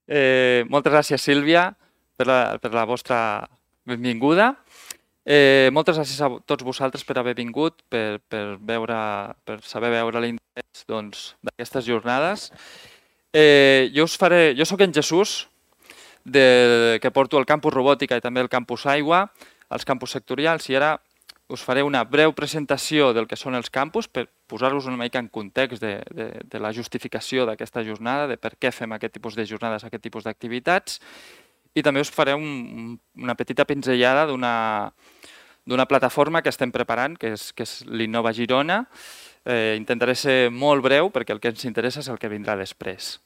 Moltes gràcies, Sílvia, per la vostra benvinguda. Moltes gràcies a tots vosaltres per haver vingut, per saber veure l'interès d'aquestes jornades. Jo sóc en Jesús, que porto el campus robòtica i també el campus aigua, els campus sectorials, i ara us faré una breu presentació del que són els campus per posar-vos una mica en context de la justificació d'aquesta jornada, de per què fem aquest tipus de jornades, aquest tipus d'activitats, i també us faré una petita pinzellada d'una plataforma que estem preparant, que és l'Innova Girona. Intentaré ser molt breu perquè el que ens interessa és el que vindrà després.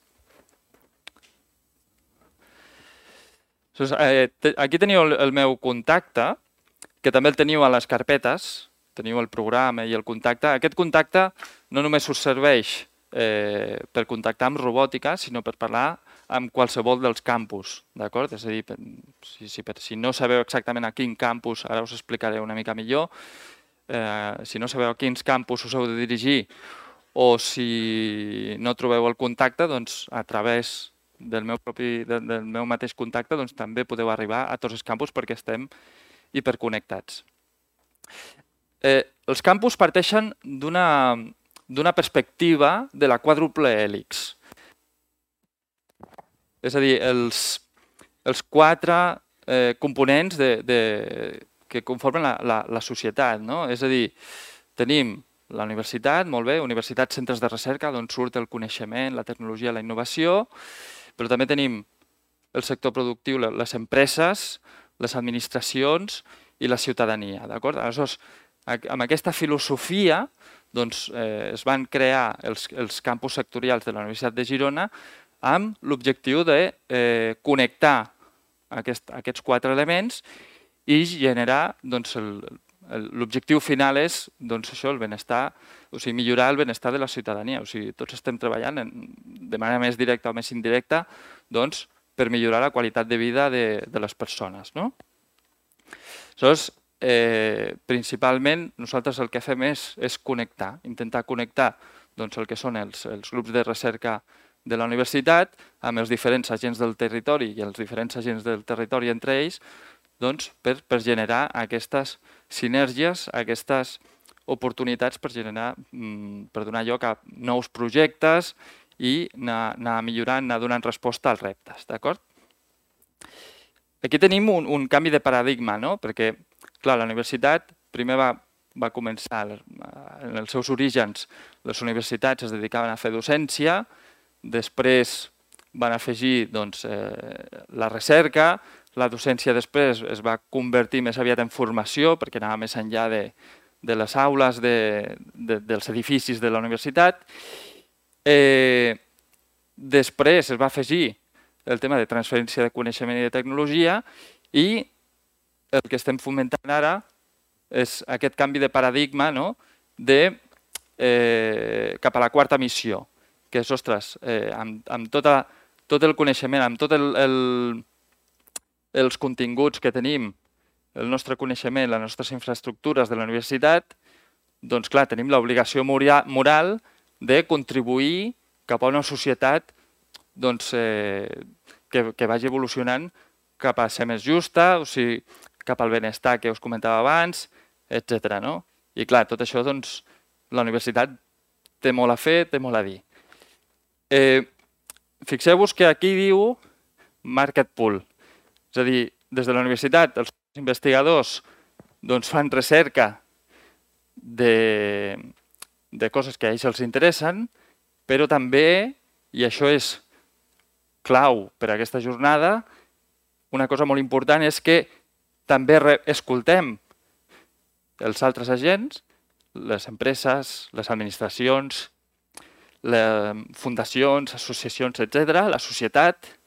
Aquí teniu el meu contacte, que també el teniu a les carpetes, teniu el programa i el contacte. Aquest contacte no només us serveix per contactar amb robòtica, sinó per parlar amb qualsevol dels campus, d'acord? És a dir, si no sabeu exactament a quin campus, ara us explicaré una mica millor, si no sabeu a quins campus us heu de dirigir o si no trobeu el contacte, doncs a través del meu mateix contacte doncs també podeu arribar a tots els campus perquè estem hiperconnectats. Els campus parteixen d'una perspectiva de la quàdruple hèlix. És a dir, els quatre components que conformen la societat. És a dir, tenim la universitat, molt bé, universitats, centres de recerca, d'on surt el coneixement, la tecnologia, la innovació, però també tenim el sector productiu, les empreses, les administracions i la ciutadania. Aleshores, amb aquesta filosofia es van crear els campus sectorials de la Universitat de Girona amb l'objectiu de connectar aquests quatre elements i generar, l'objectiu final és això, el benestar, o sigui, millorar el benestar de la ciutadania. O sigui, tots estem treballant de manera més directa o més indirecta per millorar la qualitat de vida de les persones. Aleshores, principalment, nosaltres el que fem és connectar, intentar connectar el que són els grups de recerca de la universitat amb els diferents agents del territori i els diferents agents del territori entre ells per generar aquestes sinergies, aquestes oportunitats per donar lloc a nous projectes i anar millorant, anar donant resposta als reptes. Aquí tenim un canvi de paradigma, perquè clar, la universitat primer va començar, en els seus orígens, les universitats es dedicaven a fer docència, després van afegir la recerca, la docència després es va convertir més aviat en formació perquè anava més enllà de les aules, dels edificis de la universitat. Després es va afegir el tema de transferència de coneixement i de tecnologia i el que estem fomentant ara és aquest canvi de paradigma cap a la quarta missió, que és, ostres, amb tot el coneixement, amb tots els continguts que tenim, el nostre coneixement, les nostres infraestructures de la universitat, doncs clar, tenim l'obligació moral de contribuir cap a una societat que vagi evolucionant cap a ser més justa, o sigui, cap al benestar que us comentava abans, etc. I clar, tot això, la universitat té molt a fer, té molt a dir. Fixeu-vos que aquí diu market pool. És a dir, des de la universitat els investigadors fan recerca de coses que a ells els interessen, però també, i això és clau per a aquesta jornada, una cosa molt important és que també escoltem els altres agents, les empreses, les administracions, fundacions, associacions, etc., la societat,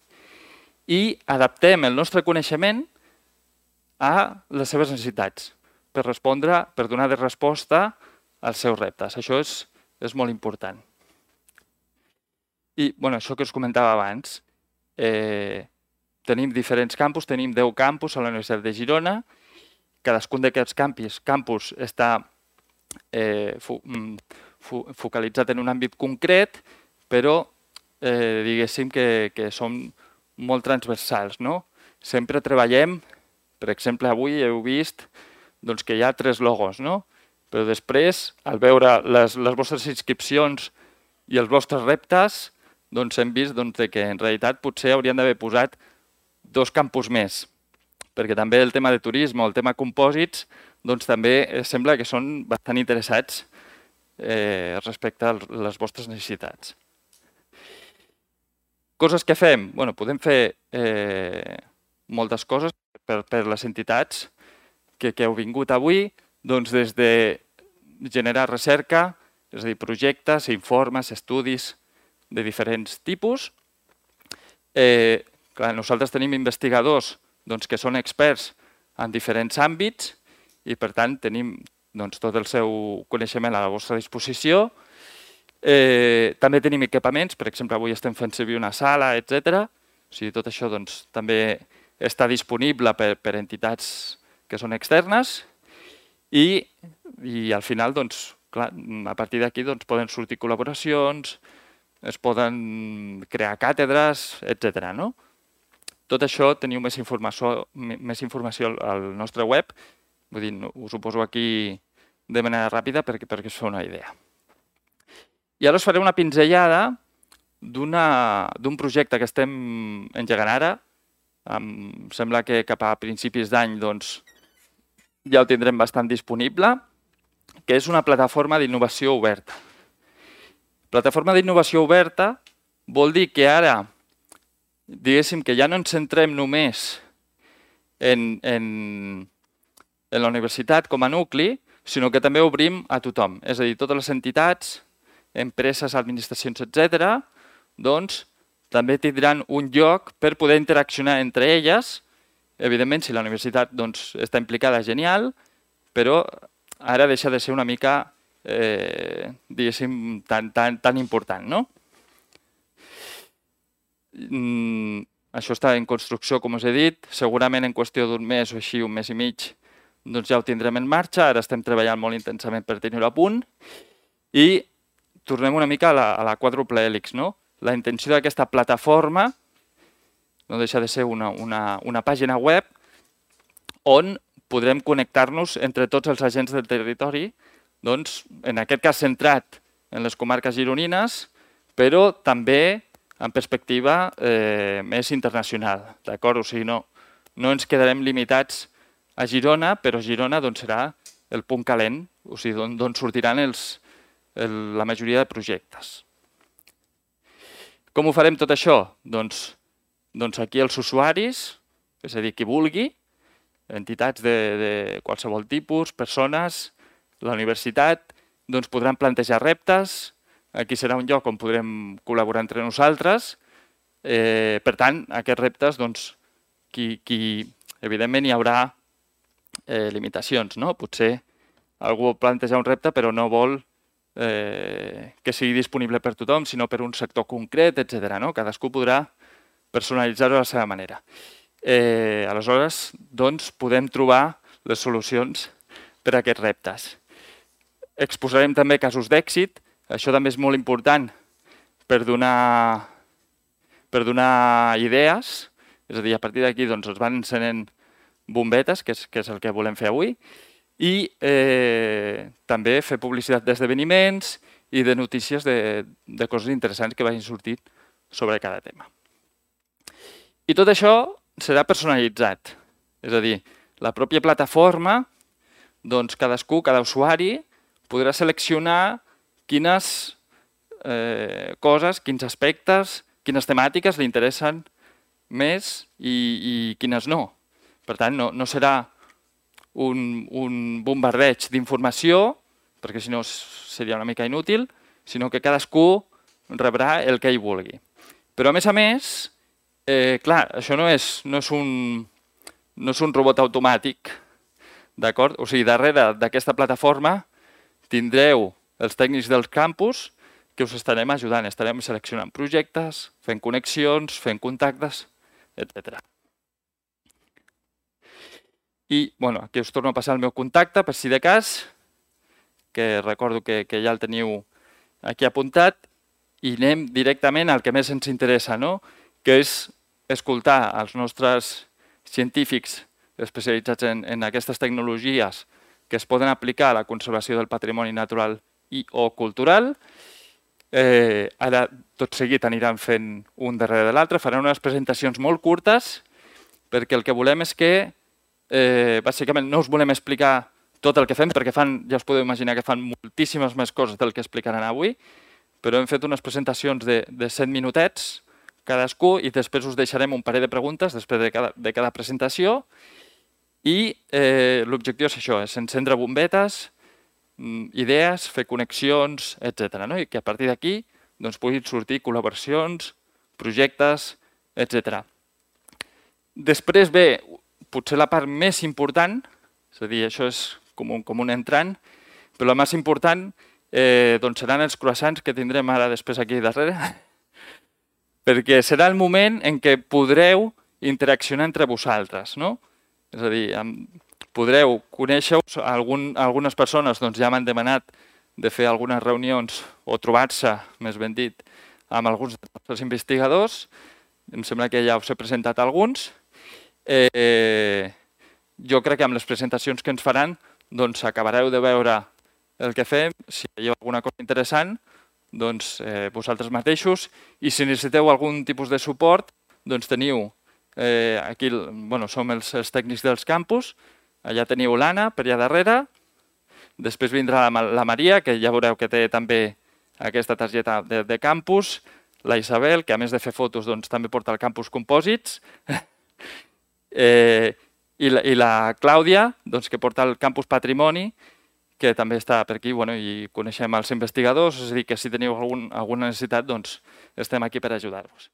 i adaptem el nostre coneixement a les seves necessitats per donar resposta als seus reptes. Això és molt important. I això que us comentava abans, tenim diferents campus, tenim 10 campus a la Universitat de Girona, cadascun d'aquests campus està focalitzat en un àmbit concret, però diguéssim que som molt transversals, no? Sempre treballem, per exemple, avui heu vist doncs, que hi ha 3 logos, no? Però després, al veure les vostres inscripcions i els vostres reptes, doncs hem vist que en realitat potser haurien d'haver posat 2 campus més, perquè també el tema de turisme o el tema compòsits doncs també sembla que són bastant interessats respecte a les vostres necessitats. Coses que fem? Bueno, podem fer moltes coses per les entitats que heu vingut avui, doncs des de generar recerca, és a dir, projectes, informes, estudis de diferents tipus. Clar, nosaltres tenim investigadors que són experts en diferents àmbits i, per tant, tenim tot el seu coneixement a la vostra disposició. També tenim equipaments, per exemple, avui estem fent servir una sala, etc. O sigui, tot això també està disponible per entitats que són externes i al final, clar, a partir d'aquí poden sortir col·laboracions, es poden crear càtedres, etc. Tot això teniu més informació al nostre web. Vull dir, us ho poso aquí de manera ràpida perquè us feu una idea. I ara us faré una pinzellada d'un projecte que estem engegant ara. Em sembla que cap a principis d'any ja ho tindrem bastant disponible, que és una plataforma d'innovació oberta. Plataforma d'innovació oberta vol dir que ara, diguéssim que ja no ens centrem només en la universitat com a nucli, sinó que també obrim a tothom. És a dir, totes les entitats, empreses, administracions, etc., també tindran un lloc per poder interaccionar entre elles. Evidentment, si la universitat està implicada, genial, però ara deixa de ser una mica, diguéssim, tan important, no? Això està en construcció, com us he dit. Segurament en qüestió d'un mes o així, un mes i mig, ja ho tindrem en marxa. Ara estem treballant molt intensament per tenir-ho a punt. I tornem una mica a la quàdruple hèlix, no? La intenció d'aquesta plataforma no deixa de ser una pàgina web on podrem connectar-nos entre tots els agents del territori, en aquest cas centrat en les comarques gironines, però també en perspectiva més internacional. O sigui, no ens quedarem limitats a Girona, però Girona serà el punt calent, o sigui, d'on sortiran la majoria de projectes. Com ho farem tot això? Doncs aquí els usuaris, és a dir, qui vulgui, entitats de qualsevol tipus, persones, la universitat, podran plantejar reptes. Aquí serà un lloc on podrem col·laborar entre nosaltres. Per tant, aquests reptes, evidentment hi haurà limitacions. Potser algú planteja un repte però no vol que sigui disponible per tothom, sinó per un sector concret, etc. Cadascú podrà personalitzar-ho a la seva manera. Aleshores, podem trobar les solucions per a aquests reptes. Exposarem també casos d'èxit. Això també és molt important per donar idees. És a dir, a partir d'aquí es van encenent bombetes, que és el que volem fer avui, i també fer publicitat d'esdeveniments i de notícies de coses interessants que vagin sortint sobre cada tema. I tot això serà personalitzat. És a dir, la pròpia plataforma, cadascú, cada usuari, podrà seleccionar quines coses, quins aspectes, quines temàtiques li interessen més i quines no. Per tant, no serà un bombardeig d'informació, perquè si no seria una mica inútil, sinó que cadascú rebrà el que ell vulgui. Però, a més, clar, això no és un robot automàtic, d'acord? O sigui, darrere d'aquesta plataforma tindreu els tècnics del campus que us estarem ajudant. Estarem seleccionant projectes, fent connexions, fent contactes, etc. I aquí us torno a passar el meu contacte, per si de cas, que recordo que ja el teniu aquí apuntat, i anem directament al que més ens interessa, que és escoltar els nostres científics especialitzats en aquestes tecnologies que es poden aplicar a la conservació del patrimoni natural i o cultural. Ara, tot seguit, aniran fent un darrere de l'altre, faran unes presentacions molt curtes, perquè el que volem és que, bàsicament, no us volem explicar tot el que fem, perquè ja us podeu imaginar que fan moltíssimes més coses del que explicaran avui, però hem fet unes presentacions de 7 minutets cadascú i després us deixarem un parell de preguntes després de cada presentació i l'objectiu és això, és encendre bombetes, idees, fer connexions, etc. I que a partir d'aquí puguin sortir col·laboracions, projectes, etc. Després ve potser la part més important, és a dir, això és com un entrant, però la més important seran els croissants que tindrem ara després aquí darrere, perquè serà el moment en què podreu interaccionar entre vosaltres. És a dir, podreu conèixer-vos, algunes persones ja m'han demanat de fer algunes reunions o trobar-se, més ben dit, amb alguns dels nostres investigadors. Em sembla que ja us he presentat alguns. Jo crec que amb les presentacions que ens faran acabareu de veure el que fem, si veieu alguna cosa interessant, vosaltres mateixos, i si necessiteu algun tipus de suport, teniu, aquí som els tècnics dels campus, allà teniu l'Anna, per allà darrere, després vindrà la Maria, que ja veureu que té també aquesta targeta de campus, la Isabel, que a més de fer fotos també porta el Campus Compòsits, i la Clàudia, que porta el Campus Patrimoni, que també està per aquí i coneixem els investigadors, és a dir, que si teniu alguna necessitat, estem aquí per ajudar-vos.